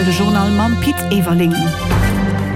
Aktuell, de Journal mam Pit Everling.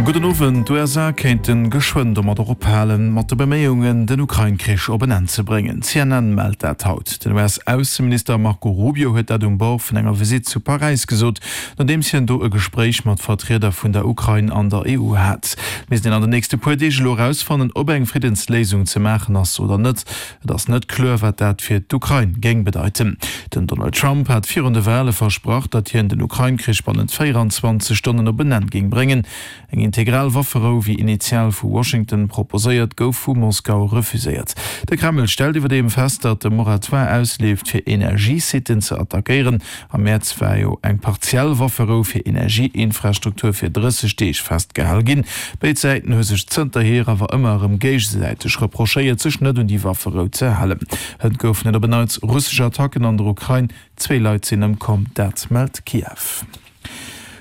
Gudden Owend. D'USA kéinte geschwënn domadder ophalen, mat de Beméiungen, den Ukrain-Krich op en Enn ze bréngen. CNN mellt dat haut. Den US-Ausseminister Marco Rubio huet dat um Bord vun enger Visitt zu Paräis gesot, nodeems hien do e Gespréich mat Vertrieder vun der Ukrain an der EU hat. Et misst een an den nächste puer Deeg elo erausfannen, ob eng Friddensléisung ze maachen ass oder net. Et ass net kloer, wat dat fir d'Ukrain géing bedeiten. Den Donald Trump hat virun de Wale versprach, datt hien den Ukrain-Krich bannent 24 Stonnen op en Enn géing bréngen. Eng integral Wafferou, wéi initial vu Washington proposéiert, gouf vu Moskau refuséiert. De Kreml stellt iwwerdeem fest, datt de Moratoire ausleeft, fir Energiesitten ze attackéieren. Am Mäerz war jo eng partiell Wafferou fir Energieinfrastruktur fir 30 Deeg festgehal ginn. Béid Säiten hu sech zënterhier awer ëmmer erëm géigesäiteg reprochéiert, sech net un déi Wafferou ze halen. Hënt goufen et op en Neits russesch Attacken an der Ukrain. Zwee Leit sinn ëmkomm, dat mellt Kiew.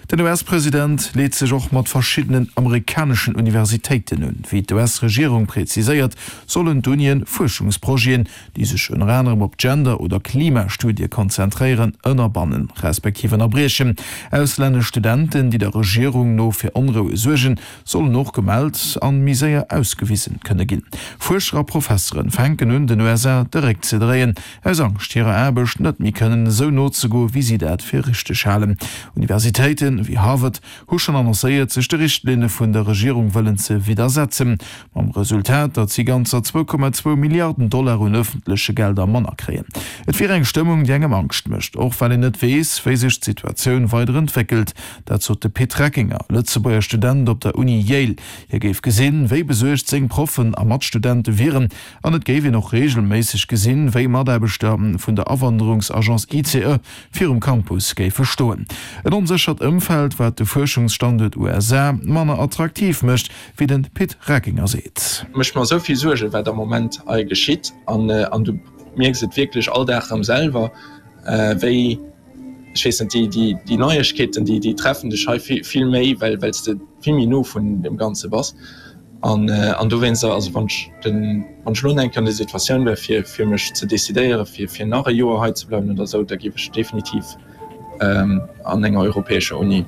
Den US-President leet sech och mat verschiddenen amerikaneschen Universitéiten un. Wéi d'US-Regierung preziséiert, sollen d'Unien Fuerschungsprojeten, déi sech ënner anerem op Gender oder Klimastudie konzentréieren, ënnerbannen, respektiv ënnerbriechen. Auslännesch Studenten, déi der Regierung no fir Onroue suergen, sollen och gemellt an méi séier ausgewisen kënne ginn. Fuerscher a Professeren fänken un, den USA de Réck ze dréien, aus Angscht hirer Aarbecht net méi kënnen esou nozegoe wéi si dat fir richteg halen. Universitéite wéi Harvard hu schonn annoncéiert, sech de Richtlinne vun der Regierung wëllen ze widdersetzen, mam Resultat, datt si ganzer 2,2 Milliarden Dollar un ëffentleche Gelder manner kréien. Et wier eng Stëmmung, déi engem Angscht mécht, och well een net weess, wéi sech d'Situatioun weider entwéckelt. Dat sot de Pit Reckinger, Lëtzebuerger Student op der Uni Yale. Hie géif gesinn, wéi besuergt seng Proffen a Matstudente wieren, An et géif een och reegelméisseg gesinn, wéi Mataarbechter vun der Awanderungsagence ICE virum Campus géife stoen. En onséchert Ëmfeld, wat de Fuerschungsstanduert USA manner attraktiv mécht, wéi de Pit Reckinger seet. Mécht mer esou vill Suergen, wat am Moment hei geschitt. An du mierks et wierklech all Dag erëm selwer, wéi ech weess net, déi, déi Neiegkeeten, déi, déi treffen dech hei vill, vill méi, well, well s de vill méi no vun deem Ganze bass. An, an dowéinst, also wann ech den, wann ech elo eng Kéier an der Situatioun wär, fir, fir mech ze decidéieren, fir, fir nach e Joer hei ze bleiwen oder esou, da géif ech definitiv an enger europäescher Uni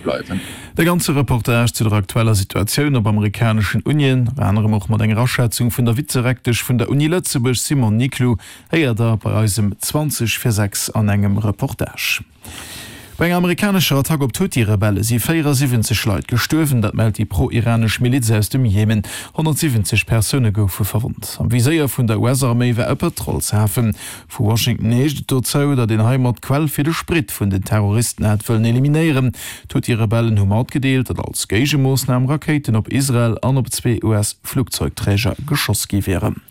bleiwen. De ganze Reportage zu der aktueller Situatioun op amerikaneschen Unien, ënner anerem och mat enger Aschätzung vun der Vizerektesch vun der Uni Lëtzebuerg Simone Niclou, Héiert der bei eis em 20 vir 6 an engem Reportage. Bei enger amerikanescher Attack op d'Huthi-Rebelle si 74 Leit gestuerwen, dat mellt déi pro-iranesch Miliz aus dem Jemen. 170 Persoune goufe verwonnt. Am Viséier vun der US-Arméi war e Pëtrolshafen. Vu Washington heescht et dozou, datt een heimat d'Quell fir de Sprit vun den Terroristen hätt wëllen eliminéieren. D'Huthi-Rebellen hu matgedeelt, datt als Géigemoossnam Rakéiten op Israel an op zwee US-Flugzeugträger geschoss gi wieren.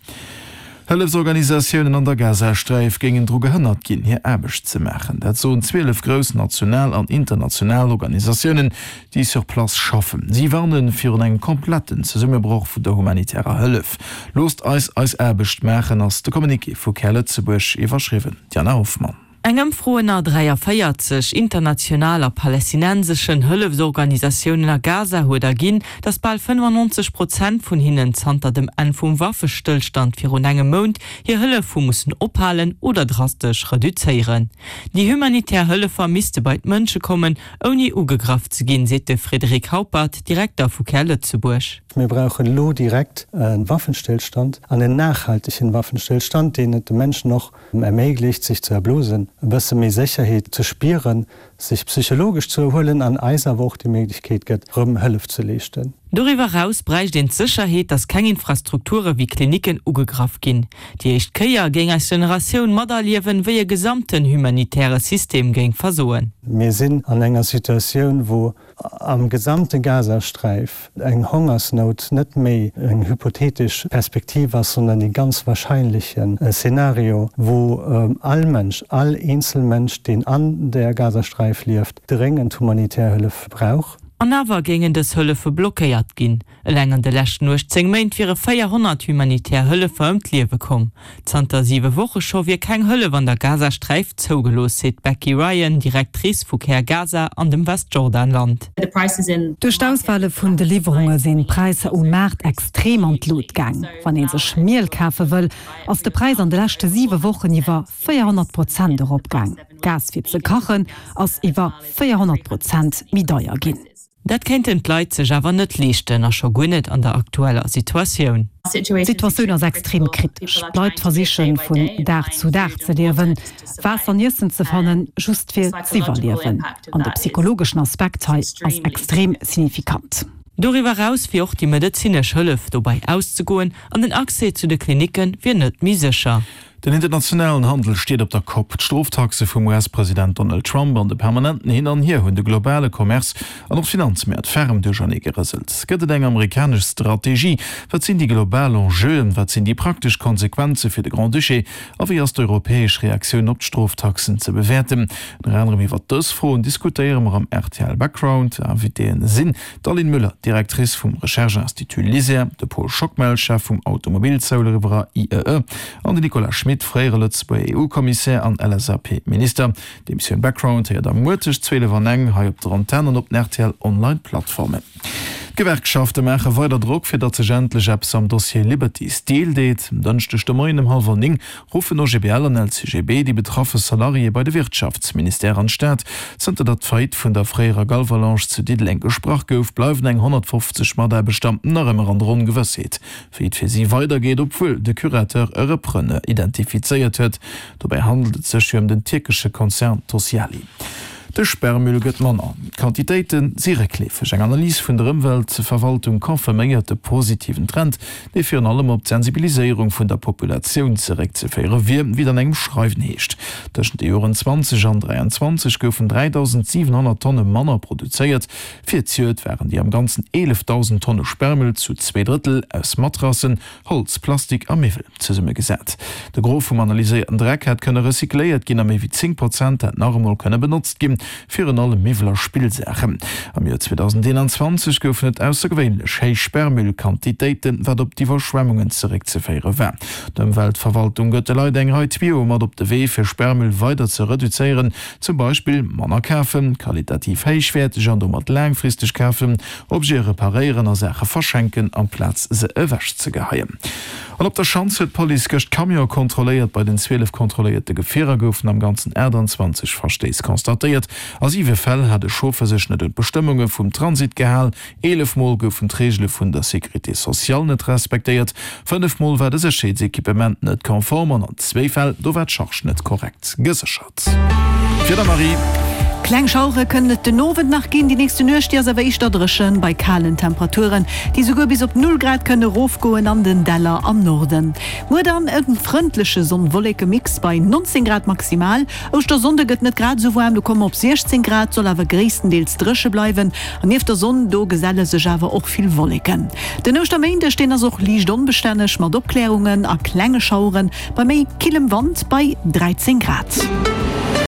Hëllefsorganisatiounen an der Gazasträif géingen dru gehënnert ginn, hir Aarbecht ze maachen. Dat soen 12 grouss national an international Organisatiounen, déi sur place schaffen. Si warne virun engem kompletten Zesummebroch vun der humanitärer Hëllef. Loosst eis eis Aarbecht maachen, ass de Communiqué vu Care Lëtzebuerg, iwwerschriwwen Diana Hoffmann. Eng Ëmfro ënner 43 international a palästinenseschen Hëllefsorganisatiounen a Gaza huet erginn, datt bal 95 Prozent vun hinnen zanter dem Enn vum Waffestëllstand virun engem Mount hir Hëllef hu mussen ophalen oder drastesch reduzéieren. Déi humanitär Hëllefer misste bei d'Mënsche kommen, ouni ugegraff ze ginn, seet de Frédéric Haupert, Direkter vu Care Lëtzebuerg. Mir brauchen elo direkt e Waffenstillstand an en nachhaltegen Waffenstillstand, deen et de Menschen och erméiglecht, sech ze erblosen, e bësse méi Sécherheet ze spieren, sech psychologesch ze erhuelen an eis awer och déi Méiglechkeet gëtt, rëm Hëllef ze leeschten. Doriwwer eraus bräicht een d'Sécherheet, datt keng Infrastrukture wéi Klinicken ugegraff ginn. Déi éischt Kéier géing eis Generatioun materliewen, wéi e gesamten humanitäre System géing versoen. Mir sinn an enger Situatioun, wou am gesamte Gazasträif eng Hongersnout net méi eng hypothetesch Perspektiv ass, sondern dee ganz wahrscheinlechen Szenario, wou all Mënsch, all eenzel Mënsch, deen an der Gazasträif lieft, dréngend humanitär Hëllef brauch. An awer géingen dës Hëllefe blockéiert ginn. Eleng an de leschten 18 Méint wiere 400 humanitär Hëllefer ëm d'Liewe komm. Zanter siwe Woche scho wier keng Hëllef an der Gazasträif zougelooss, seet d'Becky Ryan, Directrice vu Care Gaza an dem Westjordanland. Duerch d'Ausfale vun de Liwwerunge sinn d'Präisser um Maart extrem an d'Lut gaang. Wann ee sech Miel kafe wëll, ass de Präis an de leschte siwe Wochen iwwer 400 Prozent eropgaang. Gas fir ze kachen ass iwwer 400 Prozent méi deier ginn. Dat kéinten d'Leit sech awer net leeschten a scho guer net an der aktueller Situatioun. D'Situatioun ass extrem kritesch. D'Leit versiche vun Dag zu Dag ze liewen, Waasser an Iessen ze fannen, just fir z'iwwerliewen. An de psychologeschen Aspekt hei ass extrem signifikant. Doriwwer eraus wier och déi medezinesch Hëllef dobäi auszegoen an den Accès zu de Klinicke wier net méi sécher. Den internationalen Handel steet op der Kopp. D'Stroftaxe vum US-President Donald Trump an de permanenten Hin an Hier hunn de globale Commerce an och d'Finanzmäert ferm duerchernee gerëselt. Gëtt et eng amerikanesch Strategie? Wat sinn déi global Enjeuen? Wat sinn déi praktesch Konsequenze fir de Grand-Duché? A wéi ass d'europäesch Reaktioun op d'Stroftaxen ze bewäerten? Ënner anerem iwwer dës Froen diskutéiere mer am rtl Background. Invitéen sinn D'Aline Müller, Directrice vum Recherche-Institut LISER, de Paul Schockmel, Chef vum Automobilzoulriwwerer IEE, an den Nicolas Schmit, fréiere Lëtzebuerger EU-Kommissär an LSAP-Minister. D'Emissioun Background héiert der muer tëscht 12 an eng hei op der Antenn an op den rtl Online Plattformen. D'Gewerkschafte maache weider Drock, fir datt sech endlech eppes am Dossier Liberty Steel deet. En Dënschdeg de Moien ëm hallwer 9 ruffen OGBL an LCGB déi betraffe Salariéë bei de Wirtschaftsministère an d'Stad. Zënter datt d'Faillite vun der fréierer Galvalange zu Diddeleng gesprach gouf, bleiwen eng 150 Mataarbechter nach ëmmer an der Ongewëssheet, wéi et fir si weidergeet, obwuel de Curateur e Repreneur identifizéiert huet. Dobäi handelt et sech jo ëm den tierkesche Konzern Tosyali. De Sperrmüll gëtt manner, d'Quantitéite si réckleefeg. Eng Analys vun der Ëmweltverwaltung confirméiert de positiven Trend, dee virun allem op d'Sensibiliséierung vun der Populatioun zeréckzeféiere wier, wéi et an engem Schreiwen heescht. Tëschent de Joren 20 an 23 goufen 3.700 Tonne manner produzéiert. Fir d'Juegd waren déi am Ganzen 11.000 Tonne Sperrmüll zu zwee Drëttel aus Matrassen, Holz, Plastik a Miwwel zesummegesat. De Gros vum analyséierten Dreck hätt kënne recycléiert ginn a méi wéi 10 Prozent hätt nach emol kënne benotzt ginn, virun allem Miwwel a Spillsaachen. Am Joer 2021 goufen et aussergewéinlech héich Sperrmüllquantitéiten, wat op d'Iwwerschwemmungen zeréckzeféiere war. D'Ëmweltverwaltung gëtt de Leit eng Rei Tuyauë mat op de Wee, fir Sperrmüll weider ze reduzéieren, zum Beispill manner kafen, qualitativ héichwäerteg an domat laangfristeg kafen, Objete reparéieren a Saache verschenken, amplaz se ewech ze geheien. An op der Schanz huet d'Police gëscht Camione kontrolléiert. Bei den 12 kontrolléierte Gefierer goufen am Ganzen 28 Verstéiss constatéiert. A siwe Fäll hat e Chauffer sech net un d'Bestëmmunge vum Transit gehal, 11 Mol goufen d'Reegele vun der Sécurité sociale net respektéiert, 5 Mol war de Sécherheetsequipement net konform an an zwéi Fäll, do war d'Charge net korrekt geséchert. Wieder Marie. Kleng Schauere kënnen et den Owend nach ginn, déi nächste Nuecht déi ass awer éischter dréchen, bei kalen Temperaturen, déi souguer bis op 0 Grad kënne erofgoen an den Däller am Norden. Muer dann e frëndleche Sonn-Wolleke-Mix bei 19 Grad maximal. Ouschtersonnde gëtt net grad esou waarm, do komme mer op 16 Grad, soll awer gréisstendeels dréche bleiwen an nieft der Sonn do geselle sech awer och vill Wolleken. Den Ouschterméindeg, deen ass och liicht onbestänneg mat Opklärungen a klenge Schaueren, Bei méi killem Wand bei 13 Grad.